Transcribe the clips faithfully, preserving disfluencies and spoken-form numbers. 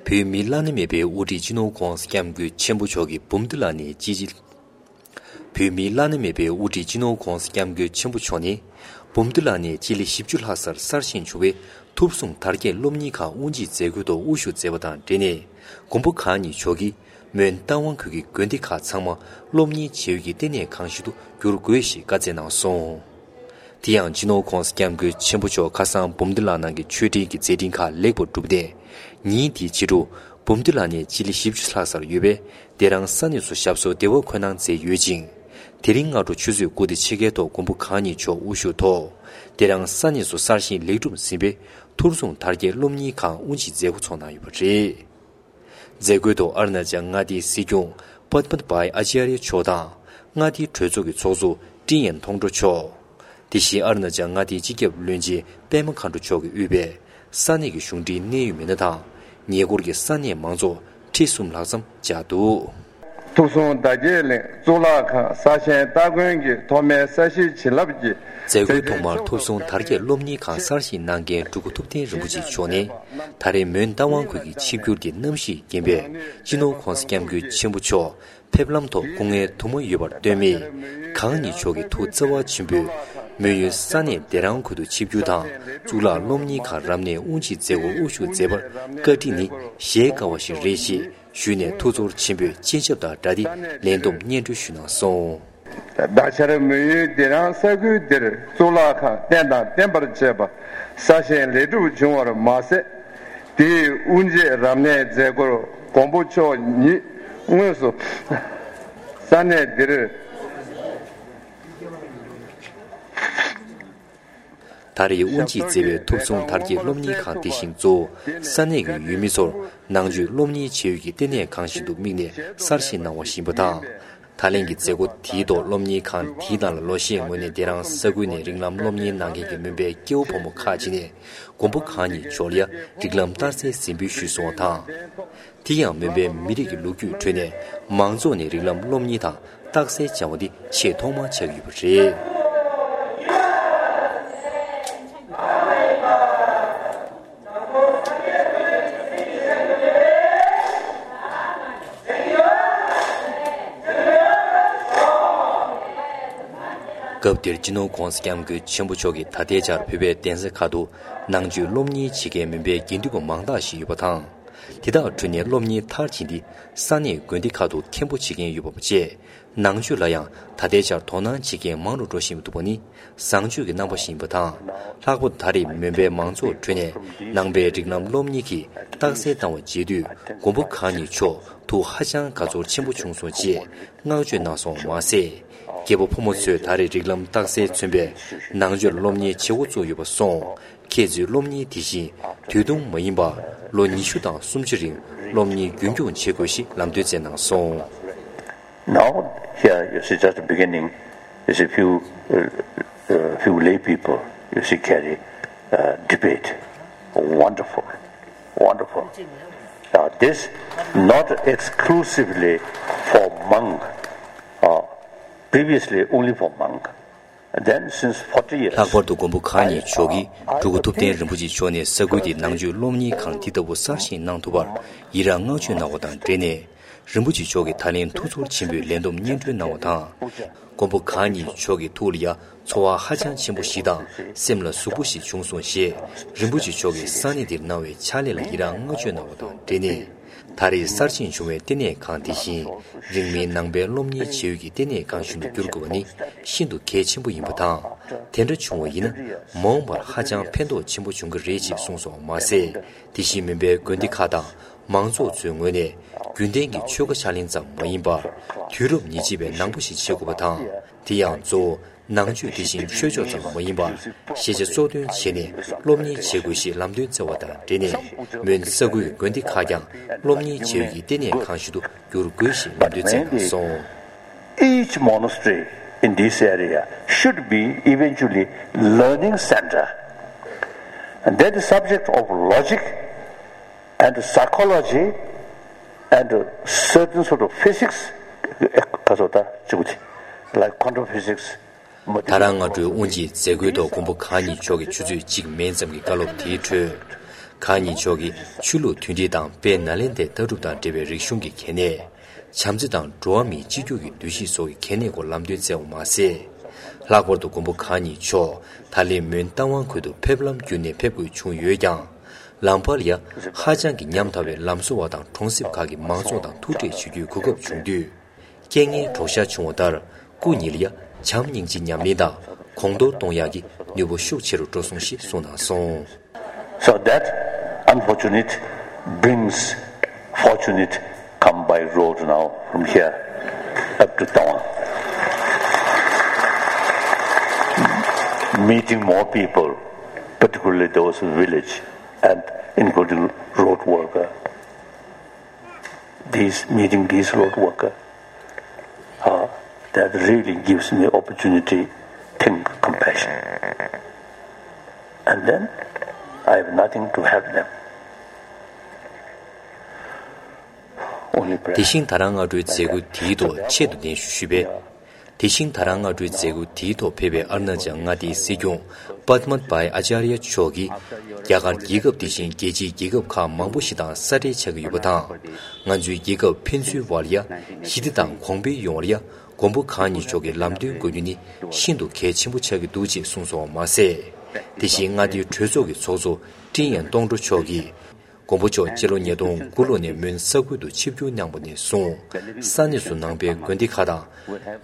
བོད་མིའི་བླ་ན་མེད་པའི་དབུ་ཁྲིད་སྤྱི་ནོར་༧གོང་ས་༧སྐྱབས་མགོན་ཆེན་པོ་མཆོག་གིས་འབུམ་སྡེ་ལ་ནས་སྤྱི་བོད་མིའི་བླ་ན་མེད་པའི་དབུ་ཁྲིད་སྤྱི་ནོར་༧གོང་ས་༧སྐྱབས་མགོན་ཆེན་པོ་མཆོག་ནས། འབུམ་སྡེ་ལ་ནས་སྤྱི་ལེ་བཞི་བཅུ་ལྷག་སར་གསར་བཞེངས་བྱུང་བའི་ཐུབ་བསྲུང་དར་རྒྱས་སློབ་གཉེར་ཁང་དབུ་འབྱེད་མཛད་སྒོའི་ཐོག་དབུ་བཞུགས་མཛད་པ་དང་འབྲེལ་ནས། མགོན་པོ་གང་ཉིད་མཆོག་གིས་མོན་རྟ་དབང་ཁུལ་གྱི་དགོན་སྡེ་ཁག་ཚང་མ་སློབ་གཉེར་བྱ་ཡུལ་གྱི་ལྟེ་གནས་ཁང་ཞིག་ཏུ་འགྱུར་དགོས་ཞེས་བཀའ་སྩལ་གནང་སོང་། དེ་ཡང་སྤྱི་ནོར་༧གོང་ས་༧སྐྱབས་མགོན་ཆེན་པོ་མཆོག་ཁ་སང་འབུམ་སྡེ་ལ་ནང་གི་མཆོད་སྤྲིན་གྱི་མཛད་འཕྲིན་ཁག་ལེགས་པར་གྲུབ་སྟེ། ཉིན་དེའི་ཕྱི་དྲོ། འབུམ་སྡེ་ལ་ནས་སྤྱི་ལེ་བཞི་བཅུ་ལྷག་སར་ཡོད་པའི་དེ་རང་ས་གནས་སུ་ཞབས་སོར་བདེ་བར་འཁོད་གནང་མཛད་ཡོད་ཅིང་། དེ་རིང་སྔ་དྲོ་ཆུ་ཚོད་དགུ་དང་ཕྱེད་ཀའི་ཐོག་མགོན་པོ་གང་ཉིད་མཆོག་དབུ་བཞུགས་ཐོག་དེ་རང་ས་གནས་སུ་གསར་བཞེངས་ལེགས་གྲུབ་ཟིན་པའི་ཐུབ་བསྲུང་དར་རྒྱས་སློབ་གཉེར་ཁང་དབུ་འབྱེད་མཛད་སྒོ་ཚོགས་གནང་ཡོད་པ་རེད། མཛད་སྒོའི་ཐོག་ཨ་རུ་ན་ཅལ་མངའ་སྡེའི་སྲིད་སྐྱོང་པདྨ་བྷའི་ཨ་ཅཱརྱ་མཆོག་དང་། མངའ་སྡེའི་གྲོས་ཚོགས་ཀྱི་ཚོགས་གཙོ་ཀྲིན་ཡན་ཐོང་ཀྲོ་མཆོག་དེ་བཞིན་ཨ་རུ་ན་ཅལ་མངའ་སྡེའི་སྤྱི་ཁྱབ་བློན་ཆེན་པད་མ་མཁའ་འགྲོ་མཆོག་གིས་དབུས་པའི་ས་གནས་ཀྱི་གཞུང་འབྲེལ་གནད་ཡོད་མི་སྣ་དང་། ཉེ་འཁོར་གྱི་ས་གནས་མང་ཚོགས་ཁྲི་གསུམ་ལྷག་ཙམ་བཅར་འདུག། ཐུབ་བསྲུང་དར་རྒྱས་གླིང་གཙུག་ལག་ཁང་གསར་བཞེངས་སྟ་གོན་གྱི་ཐོག་མའི་ས་གཞིའི་བྱིན་རླབས་ཀྱིས། མཛད་སྒོའི་ཐོག་མར་ཐུབ་བསྲུང་དར་རྒྱས་སློབ་གཉེར་ཁང་གསར་བཞེངས་གནང་མཁན་འབྲུག་སྐུ་ཐུབ་བསྟན་རིན་པོ་ཆེ་མཆོག་ནས། ད་རེས་མོན་རྟ་དབང་ཁུལ་གྱི་ཆིབས་བསྒྱུར་གྱི་རྣམ་གཞག་རྒན་པས་སྤྱི་ནོར་༧གོང་ས་༧སྐྱབས་མགོན་ཆེན་པོ་མཆོག་ཕེབས་ལམ་ཐོག་སྐུ་ངལ་དུ་མ་ཡོད་པར་ལྟོས་མེད། གང་ཉིད་མཆོག་གི་ཐུགས་བརྩེ་བ་ཆེན་པོས་མོན་ཡུལ་ས་གནས་སྡེ་རང་ཁུལ་དུ་ཆིབས་བསྒྱུར་དང་གཙུག་ལག་སློབ་གཉེར་ཁང་རབ་གནས་དབུ་འབྱེད་མཛད་སྒོར་དབུ་བཞུགས་མཛད་པར་བཀའ་དྲིན་ནི་གཞལ་དཀའ་བ་ཞིག་རེད་ཅེས་ཞུས་ནས་ཐུགས་ཚོར་ཆེན་པོས་སྤྱན་ཆབ་དང་སྦྲགས་ཏེ་ལན་འདེབས་སྙན་སྒྲོན་ཞུས་གནང་སོང་། ད་ཆར་མོན་ཡུལ་སྡེ་རང་ས་ཁུལ་འདིར་གཙུག་ལག་ཁང་རྟེན་དང་བརྟེན་པར་བཅས་པ་གསར་བཞེངས་ལེགས་གྲུབ་བྱུང་བར་མ་ཟད། དེའི་དབུ་འབྱེད་རབ་གནས་མཛད་སྒོར་མགོན་པོ་མཆོག་ཉིད་དངོས་སུ་ས་གནས་འདིར། ད་རེས་དབུ་འབྱེད་མཛད་པའི་ཐུབ་བསྲུང་དར་རྒྱས་སློབ་གཉེར་ཁང་དེ་བཞིན་གཙོ་བོ་ས་གནས་ཀྱི་ཡུལ་མི་ཚོར་ནང་ཆོས་སློབ་གཉེར་བྱེད་ཡུལ་གྱི་ལྟེ་གནས་ཁང་ཞིག་ཏུ་དམིགས་ནས་གསར་བཞེངས་གནང་བ་ཞིག་ཡིན་པ་དང་། ད་ལན་གྱི་མཛད་སྒོ་དེའི་ཐོག་སློབ་གཉེར་ཁང་དེའི་ནང་ལ་ལོ་ཤས་སྔོན་ནས་སྡེ་རང་ས་ཁུལ་ནས་རིགས་ལམ་སློབ་གཉེར་གནང་མཁན་གྱི་མོན་པའི་སྐྱེ་བོ་ཕོ་མོ་ཁག་ཅིག་ནས་མགོན་པོ་གང་ཉིད་མཆོག་ལ་ཡ་རིགས་ལམ་རྟགས་གསལ་གཟིགས་འབུལ་ཞུས་སོང་བ་དང་། དེ་ཡང་མོན་པའི་མི་རིགས་ཀྱི་ལོ་རྒྱུས་ཁྲོད་ནས་མང་ཚོགས་ནས་རིགས་ལམ་སློབ་གཉེར་དང་རྟགས་གསལ་སྦྱང་བ་འདི་ཆེས་ཐོག་མར་ཆགས་ཀྱི་ཡོད་པ་རེད། སྐབས་དེར་སྤྱི་ནོར་༧གོང་ས་༧སྐྱབས་མགོན་ཆེན་པོ་མཆོག་གིས་ད་ལྟའི་ཆར་བོད་པའི་གདན་ས་ཁག་ཏུ་ནང་ཆོས་སློབ་གཉེར་བྱེད་མཁན་མོན་པའི་དགེ་འདུན་པ་མང་དག་ཞིག་ཡོད་པ་དང་། དེ་དག་ཁྲོད་ནས་སློབ་གཉེར་མཐར་ཕྱིན་ཏེ་ས་གནས་དགོན་སྡེ་ཁག་ཏུ་མཁན་པོ་བྱེད་མཁན་ཡོད་པ་བཅས། ནང་ཆོས་ལ་ཡང་ད་ལྟའི་ཆར་དོ་སྣང་བྱེད་མཁན་མང་རུ་འགྲོ་བཞིན་འདུག་པ་ནི་བཟང་སྤྱོད་ཀྱི་རྣམ་པ་ཞིག་ཡིན་པ་དང་། ལྷག་པར་དུ་ད་རེས་མོན་པའི་མང་ཚོགས་ཁྲོད་ནས་ནང་པའི་རིགས་ལམ་སློབ་གཉེར་གྱི་རྟགས་གསལ་བཏང་བ་མཇལ་དུས་མགོན་པོ་གང་ཉིད་མཆོག་ཐུགས་ཧ་ཅང་དགའ་ཚོར་ཆེན་པོ་བྱུང་སོང་ཅེས་བསྔགས་བརྗོད་གནང་སོང་བ་མ་ཟད། སྐྱེ་བོ་ཕོ་མོ་ཚོས་ད་རེས་རིགས་ལམ་རྟགས་གསལ་མཚོན་པའི་ནང་ཆོས་སློབ་གཉེར་བྱེད་འགོ་བཙུགས་ཡོད་པ་སོང་། ཁྱེད་ཚོས་སློབ་གཉེར་དེ་བཞིན་དུས་ཐུང་མ་ཡིན་པར་ལོ་ཉི་ཤུ་དང་སུམ་ཅུ་རིང་སློབ་གཉེར་རྒྱུན་འཁྱོངས་བྱེད་དགོས་ཞེས་ལམ་སྟོན་བསྩལ་གནང་སོང་། Now, here, you see, just beginning, you see, few, uh, uh, few lay people, you see, carry, uh, debate. Wonderful, wonderful. Now, this not exclusively for monk, uh, previously only for monk. Then, since forty years, ལྷག་པར་དུ་མགོན་པོ་གང་ཉིད་མཆོག་གིས་འབྲུག་སྐུ་ཐུབ་བསྟན་རིན་པོ་ཆེ་མཆོག་ནས་ས་ཁུལ་དེའི་ནང་ཆོས་སློབ་གཉེར་ཁང་འདི་ལྟ་བུ་གསར་བཞེངས་གནང་ཐུབ་པར་ཡི་རངས་བསྔགས་བརྗོད་གནང་བ་དང་འབྲེལ་ནས། རིན་པོ་ཆེ་མཆོག་གིས་ད་ལན་ཐུགས་ཚོར་ཆེན་པོས་ལན་འདེབས་སྙན་སྒྲོན་གནང་བ་དང་། མགོན་པོ་གང་ཉིད་མཆོག་གི་ཐུགས་ལ་ཡ་ཚོར་བ་ཧ་ཅང་ཆེན་པོ་ཞིག་དང་སེམས་ལ་ཟུག་པོ་ཞིག་བྱུང་སོང་ཞེས། རིན་པོ་ཆེ་མཆོག་གིས་ས་གནས་འདིར་གནང་བའི་ཕྱག་ལས་ལ་ཡི་རངས་བསྔགས་བརྗོད་གནང་བ་དང་འབྲེལ་ནས། ད་རེས་གསར་བཞེངས་བྱུང་བའི་ལྟེ་གནས་ཁང་དེ་བཞིན་རིང་མིན་ནང་པའི་སློབ་གཉེར་བྱེད་ཡུལ་གྱི་ལྟེ་གནས་ཁང་ཞིག་ཏུ་འགྱུར་དགོས་པ་ནི་ཤིན་ཏུ་གལ་ཆེན་པོ་ཡིན་པ་དང་། དེ་འདྲ་བྱུང་བ་ཡིན་ན་མ་འོངས་པར་ཧ་ཅང་ཕན་ཐོགས་ཆེན་པོ་འབྱུང་གི་རེད་ཅེས་གསུངས་སོང་བ་མ་ཟད། དེ་བཞིན་མོན་པའི་དགོན་སྡེ་ཁག་དང་མང་ཚོགས་ཚོའི་ངོས་ནས་རྒྱུན་ལྡན་གྱི་ཆོས་ཁ་ཕྱག་ལེན་ཙམ་མ་ཡིན་པར་དུས་རབས་ཉེར་གཅིག་པའི་ནང་པ་ཞིག་བྱེད་དགོས་པ་དང་། དེ་ཡང་གཙོ་བོ། ནང་ཆོས་དེ་བཞིན་ཆོས་ཕྱོགས་ཙམ་མ་ཡིན་པར་ཤེས་བྱ་གཙོ་འདོན་བྱས་ནས་སློབ་གཉེར་བྱེད་དགོས་ཞེས་ལམ་སྟོན་བསྩལ་བ་དང་འབྲེལ་ནས་མོན་ས་ཁུལ་གྱི་དགོན་སྡེ་ཁག་ཀྱང་སློབ་གཉེར་བྱེད་ཡུལ་གྱི་ལྟེ་གནས་ཁང་ཞིག་ཏུ་འགྱུར་དགོས་ཞེས་ལམ་སྟོན་བསྩལ་གནང་སོང་། Each monastery in this area should be eventually learning center. And that is subject of logic and psychology and certain sort of physics. Like quantum physics. ད་རང་སྔ་དྲོའི་དབུ་འབྱེད་མཛད་སྒོའི་ཐོག་མགོན་པོ་གང་ཉིད་མཆོག་གིས་ཆུ་ཚོད་གཅིག་མན་ཙམ་གྱི་བཀའ་སློབ་དེའི་ཁྲོད། གང་ཉིད་མཆོག་གིས་ཆོས་ལུགས་མཐུན་སྒྲིལ་དང་དཔལ་ནཱ་ལེནྡྲའི་ལྟ་གྲུབ་དང་འབྲེལ་བའི་རིག་གཞུང་གི་གལ་གནད། བྱམས་བརྩེ་དང་འགྲོ་བ་མིའི་གཅིག་གྱུར་གྱི་འདུ་ཤེས་སོགས་ཀྱི་གལ་གནད་སྐོར་ལམ་སྟོན་བསྩལ་བ་མ་ཟད། ལྷག་པར་དུ་མགོན་པོ་གང་ཉིད་མཆོག་ད་ལན་མོན་རྟ་དབང་ཁུལ་དུ་ཕེབས་ལམ་བརྒྱུད་ནས་ཕེབས་དགོས་བྱུང་ཡོད་ཀྱང་། ལམ་བར་ལ་ཡ་ཧ་ཅང་གི་ཉམ་ཐག་པའི་ལམ་བཟོ་བ་དང་གྲོང་གསེབ་ཁག་གི་མང་ཚོགས་དང་ཐུག་འཕྲད་བྱེད་རྒྱུའི་གོ་སྐབས་བྱུང་དུས། རྐྱེན་ངན་གྲོགས་ཤར་བྱུང་བ་ལྟར། སྐུ་ཉིད་ལ་ཡ་བྱམས་སྙིང་རྗེ་ཉམས་ལེན་དང་གོང་མཐོར་གཏོང་ཡག་གི་ནུས་པ་ཤུགས་ཆེ་རུ་འགྲོ་སོང་ཞེས་གསུངས་གནང་སོང་། So that unfortunate brings fortunate come by road now from here up to Tawang. Meeting more people, particularly those in village and including road worker. These, meeting these road worker, uh, that really gives me opportunity, think, compassion. And then I have nothing to help them. Only prayer. དེ་བཞིན་ད་རང་སྔ་དྲོའི་མཛད་སྒོ་དེའི་ཐོག་ཆེད་དུ་གདན་ཞུ་ཞུས་པས། དེ་བཞིན་ད་རང་སྔ་དྲོའི་མཛད་སྒོ་དེའི་ཐོག་ཕེབས་པའི་ཨ་རུ་ན་ཅལ་མངའ་སྡེའི་སྲིད་སྐྱོང་པདྨ་བྷའི་ཨ་ཅཱརྱ་མཆོག་གིས། རྒྱ་གར་རྒྱལ་ཁབ་དེ་བཞིན་རྒྱལ་སྤྱིའི་རྒྱལ་ཁབ་ཁག་མང་པོ་ཞིག་དང་ས་འབྲེལ་ཆགས་ཀྱི་ཡོད་པ་དང་། ང་ཚོའི་རྒྱལ་ཁབ་ཕན་ཚུན་དབར་ལ་ཡ་ཞི་བདེ་དང་གོང་འཕེལ་ཡོང་བར་ཡ་མགོན་པོ་གང་ཉིད་མཆོག་གི་ལམ་སྟོན་དགོས་རྒྱུ་ནི་ཤིན་ཏུ་གལ་ཆེན་པོ་ཆགས་ཀྱི་འདུག་ཅེས་གསུངས་སོང་བ་མ་ཟད། དེ་བཞིན་མངའ་སྡེའི་གྲོས་ཚོགས་ཀྱི་ཚོགས་གཙོ་ཀྲིན་ཡན་ཏོང་ཀྲོ་མཆོག་གིས། མགོན་པོ་མཆོག་སྤྱི་ལོ་ཉིས་སྟོང་དགུ་ལོ་ནས་མོན་ས་ཁུལ་དུ་ཆིབས་བསྒྱུར་གནང་བ་ནས་བཟུང་། ས་གནས་སུ་ནང་པའི་དགོན་སྡེ་ཁག་དང་།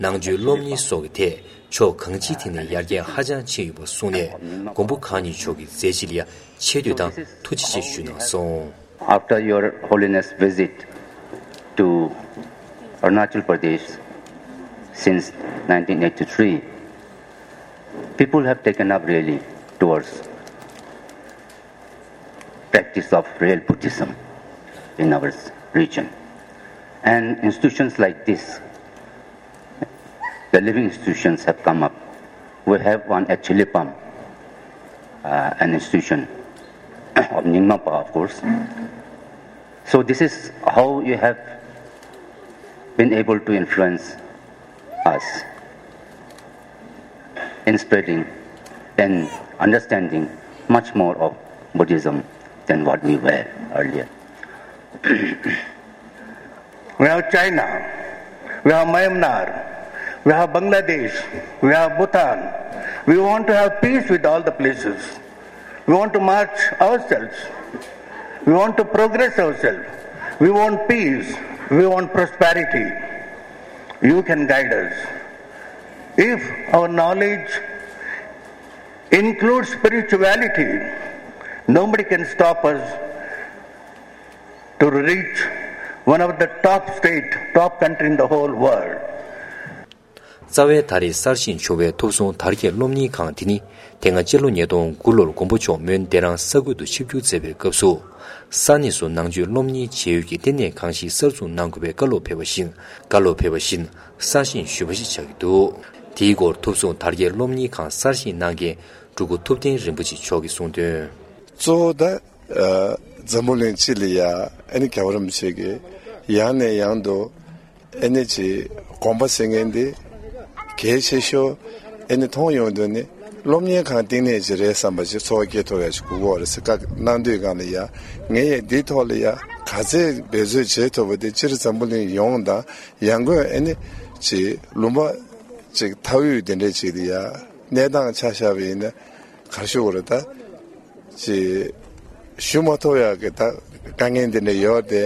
ནང་ཆོས་སློབ་གཉེར་སོགས་ཀྱི་ཐད་ཕྱོགས་གང་ཅིའི་ཐད་ནས་ཡར་རྒྱས་ཧ་ཅང་ཕྱིན་ཡོད་པ་གསུངས་ནས། མགོན་པོ་གང་ཉིད་མཆོག་གི་མཛད་རྗེས་ལ་ཡ་ཆེ་བསྟོད་དང་ཐུགས་རྗེ་ཆེ་ཞུས་གནང་སོང་། After Your Holiness visit to Arunachal Pradesh since nineteen eighty-three, people have taken up really towards practice of real Buddhism in our region. And institutions like this, the living institutions have come up. We have one at Chilipam, uh, an institution of Nyingmapa, of course. So this is how you have been able to influence us in spreading and understanding much more of Buddhism than what we were earlier. We have China, we have Myanmar, we have Bangladesh, we have Bhutan. We want to have peace with all the places. We want to march ourselves. We want to progress ourselves. We want peace. We want prosperity. You can guide us. If our knowledge includes spirituality, nobody can stop us to reach one of the top state, top country in the whole world. རྩ་བའི་ད་རེས་གསར་བཞེངས་བྱུང་བའི་ཐུབ་བསྲུང་དར་རྒྱས་སློབ་གཉེར་ཁང་དེ་ནི། དེ་སྔ་སྤྱི་ལོ་ཉིས་སྟོང་དགུ་ལོར་མགོན་པོ་མཆོག་མོན་བདེ་རང་ས་ཁུལ་དུ་ཆིབས་བསྒྱུར་མཛད་པའི་སྐབས་སུ། ས་གནས་སུ་ནང་ཆོས་སློབ་གཉེར་བྱེད་ཡུལ་གྱི་ལྟེ་གནས་ཁང་ཞིག་གསར་འཛུགས་གནང་དགོས་པའི་བཀའ་སློབ་ཕེབས་པ་བཞིན། བཀའ་སློབ་ཕེབས་པ་བཞིན་གསར་བཞེངས་ཞུས་པ་ཞིག་ཆགས་ཀྱི་འདུག་དེའི་སྐོར་ཐུབ་བསྲུང་དར་རྒྱས་སློབ་གཉེར་ཁང་གསར་བཞེངས་གནང་མཁན་སྤྲུལ་སྐུ་ཐུབ་བསྟན་རིན་པོ་ཆེ་མཆོག་གིས་གསུངས་དོན། གཙོ་བོ་ད། ཨ། འཛམ་བུ་གླིང་སྤྱི་ལ་ཡ་ཨ་ནི་རྒྱལ་བ་རིན་པོ་ཆེ་གིས་ཡང་ནས་ཡང་དུ་ཨ་ནི་ཅིག་དགོངས་པ་ཟེར་མཁན་འདི་གལ་ཆེ་ཤོས་ཨ་ནི་མཐོང་ཡོང་དུས་ནི་སློབ་གཉེར་ཁང་བཏིང་གནས་ཅིག་རེད་བསམ་པ་ཅིག་ཚོར་བ་སྐྱེ་ཐུབ་ཡ་ཅིག་དགོས་ཀྱི་ཡོད་རེད་ཟེར་བཀའ་གནང་དུས་སྒང་ལ་ཡ་ངས་ཡ་འདིའི་ཐོག་ལ་ཡ་ག་ཚད་འབད་རྩོལ་བྱེད་ཐུབ་པ་དེ་སྤྱིར་འཛམ་བུ་གླིང་ཡོངས་དང་ཡང་སྒོས་ཨ་ནི་ཅིག་ལུང་པ་ཅིག་མཐའ་དབུས་དེ་འདྲས་ཅིག་ལ་ཡ་གནས་སྟངས་ཆ་བཞག་པ་ཡིན་ན། ག་རེ་ཞུ་དགོས་རེད་ད། ཅེས་ཞུ་མ་ཐུབ་ཡག་གི་ད་དཀའ་ངལ་འདི་འདྲ་ཡོད་དེ།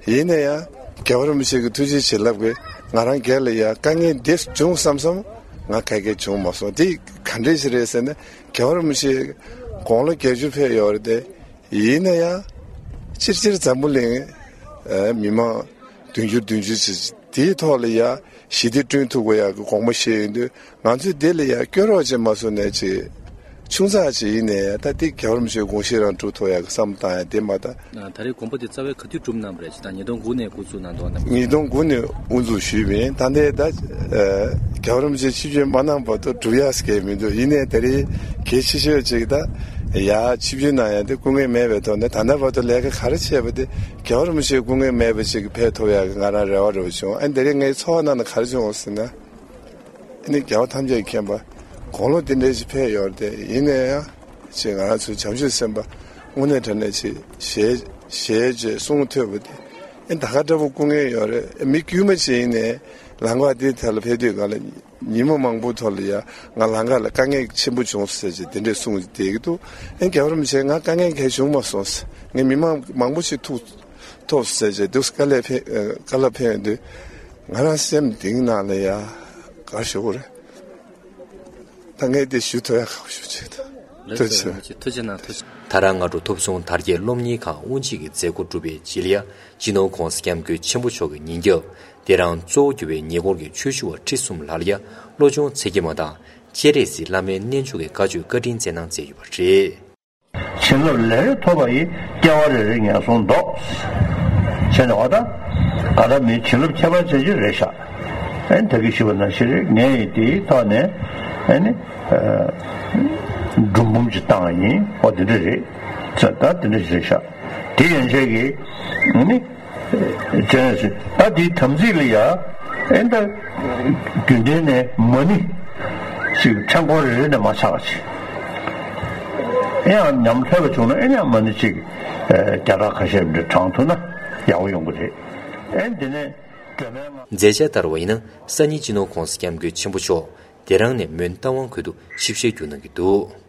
ཡིན་ན་ཡང་རྒྱལ་བ་རིན་པོ་ཆེ་གི་ཐུགས་རྗེ་བྱིན་རླབས་ཀྱིས་ང་རང་སྒེར་ལ་ཡང་དཀའ་ངལ་འདི་བྱུང་བསམ་བསམ་ང་ག་གེ་བྱུང་མ་སོང་། དེ་ག་འདྲས་ཞིག་རེད་ཟེར་ན་རྒྱལ་བ་རིན་པོ་ཆེ་དགུང་ལོ་བརྒྱད་ཅུ་ཕེབས་ཡོད་རེད་དེ། ཡིན་ན་ཡང་སྤྱིར་སྤྱིར་འཛམ་བུ་གླིང་མི་མང་བདུན་ཅུ་བདུན་ཅུ་ཅིག་དེའི་ཐོག་ལ་ཡང་ཞི་བདེ་བསྐྲུན་ཐུབ་དགོས་ཡག་གི་དགོངས་པ་བཞེས་ཡོང་དུས། ང་ཚོས་དེ་ལ་ཡང་སྐྱོ་རོགས་བྱེད་མ་སོང་ནས་ཅིག་ཆུང་ཙག་ཅིག་ཡིན་ནའི་ད་དེ་རྒྱལ་བ་རིན་པོ་ཆེའི་དགོངས་གཞི་རང་སྒྲུབ་ཐུབ་ཡག་གི་བསམ་བློ་བཏང་ཡ་དེ་མ་གཏོགས། ད་རེས་དགོངས་པ་དེ་རྩ་བའི་ག་དུས་སྒྲུབ་གནང་བ་རེད། ཅེས་དང་ཉིས་སྟོང་དགུ་ནས་འགོ་བཙུགས་གནང་འདུག་ན། ཉིས་སྟོང་དགུ་ནས་དབུ་འཛུགས་ཞུས་པ་ཡིན། ད་ལྟའི་ད་རྒྱལ་བ་རིན་པོ་ཆེ་ཆིབས་བསྒྱུར་མ་གནང་བར་དུ་སྒྲུབ་ཡག་གི་མི་འདུག་ཡིན་ནའི་ད་རེས་གལ་ཆེ་ཤོས་ཅིག་ད་ཡ་ཆིབས་བསྒྱུར་གནང་ཡ་དེ་སྐུ་ངལ་མེད་པའི་ཐོག་ནས་ད་ལྟ་བར་དུ་ལས་ཀ་ག་རེ་བྱས་པ་དེ་རྒྱལ་བ་རིན་པོ་ཆེའི་སྐུ་ངལ་མེད་པ་ཅིག་ཕེབས་ཐུབ་ཡག་གི་ང་རང་རེ་བ་རེ་བ་བྱུང་། ཨ་ནི་ད་རེས་ངའི་ཚོར་བ་ནང་ན་ག་རེ་བྱུང་ཟེར་ན། ཨ་ནི་རྒྱལ་བ་ཐམས་ཅད་མཁྱེན་པ་དགུང་ལོ་དེ་འདྲའི་ཞིག་ཕེབས་ཡོད་རེད་དེ། ཡིན་ན་ཡང་ཅིག་ང་རང་ཚོའི་བྱང་ཆུབ་སེམས་དཔའ་ དངོས་གནས་དྲང་གནས་ཆེ་ཞེས་ཞེས་བཅས་གསུང་ཐོས་པ་དེ་ཨེ་ད་ག་འདྲ་པོ་སྐུ་ངལ་ཡོད་རེད། མི་དཀྱུས་མ་ཅིག་ཡིན་ནའི་ལམ་ཁ་དེ་ཐད་ལ་ཕེབས་དུས་ག་ལ་ཉིན་མོ་མང་པོ་ཐོག་ལ་ཡ་ང་ལམ་ཁ་ལ་དཀའ་ངལ་ཆེན་པོ་བྱུང་ཟེར་བྱས་དེ་འདྲས་གསུངས་བསྡད་ཀྱི་འདུག་ཨེ་རྒྱལ་བ་རིན་པོ་ཆེ་ང་དཀའ་ངལ་གང་བྱུང་མ་སོང་ཟེར། ངས་མི་མང་མང་པོ་ཞིག་ཐུག་ཐོབ་ཟེར་བྱས་འདུག་དཀའ་ལས་ཕན་དཀའ་ལས་ཕན་ཡོད་དུས་ང་རང་སེམས་གཏིང་ནང་ལ་ཡ་དགའ་ཞེ་པོ་རེད། ད་ངས་དེ་ཞུ་ཐུབ་ཡ་ཁག་པོ་ཞེ་པོ་ཅིག་འདུག་ཐུགས་རྗེ་ཆེ། ཐུགས་རྗེ་གནང་། ཐུགས་རྗེ། ད་རང་སྔ་དྲོ་ཐུབ་བྱུང་དར་རྒྱས་སློབ་གཉེར་ཁང་དབུ་འབྱེད་ཀྱི་མཛད་སྒོ་གྲུབ་པའི་རྗེས་ལ་ཡ་སྤྱི་ནོར་༸གོང་ས་༸སྐྱབས་མགོན་ཆེན་པོ་མཆོག་གི་ཉིན་རྒྱབ་དེ་རང་གཙོ་བོ་གྱུར་པའི་ཉེ་འཁོར་གྱི་ཆོས་ཞུ་བ་ཁྲི་གསུམ་ལ་ལ་ཡ་བློ་སྦྱོང་ཚིག་བརྒྱད་མ་དང་སྤྱན་རས་གཟིགས་བླ་མའི་རྣལ་འབྱོར་གྱི་བཀའ་ཆོས་བཀའ་དྲིན་སྩལ་གནང་མཛད་ཡོད་པ་རེད། བྱིན་རླབས་ལས་རེ་ཐོབ་པ་ཡིས། སྐྱེ་བ་རེ་རེ་ངན་སོང་ལྡོག་བྱས་ནས་འོ་ད། ག་ད་མི་བྱིན་རླབས་ཁྱད་པར་ཅན་ཅིག་རེད་ཤག་ཨེ་ད་གིན་ཞུས་པ་ནང་བཞིན་རེད། ངས་ཡིན་དེའི་ཐོག་ནས་ཨེ་ནི། སྒྲུང་འབུམ་ཅིག་བཏང་བ་ཡིན། འོ་དེ་འདྲ་རེད། ད་དེ་འདྲ་ཞིག་རེད་ཤག་དེ་ཡན་ཆད་ཀྱི་ཨེ་ནི། བྱས་ནས་ད་དེའི་དམ་ཚིག་ལ་ཡ་ཨེ་ད་རྒྱུན་ལྡན་ནས་མ་ཎི་ཞིག་ཕྲེང་སྐོར་རེ་རེ་ནས་མ་ཆག་ཅིག་ཨེ་ཡང་ཉམས་ཐོས་པ་བྱུང་ན་ཨེ་ཡང་མ་ཎི་ཅིག་བརྒྱ་ཕྲག་ཁ་ཤས་འདྲ་བགྲང་ཐུབ་ན་ཡག་པོ་ཡོང་གི་རེད། ཨེ་འདི་ནས་སྒྲོལ་མའི་ང་མཛད་འཆར་ལྟར་བ་ཡིན་ན་སང་ཉིན་སྤྱི་ནོར་༸གོང་ས་༸སྐྱབས་མགོན་ཆེན་པོ་མཆོག་དེ་རང་ནས་མོན་རྟ་དབང་ཁུལ་དུ་ཆིབས་ཞལ་བསྒྱུར་གནང་གི་འདུག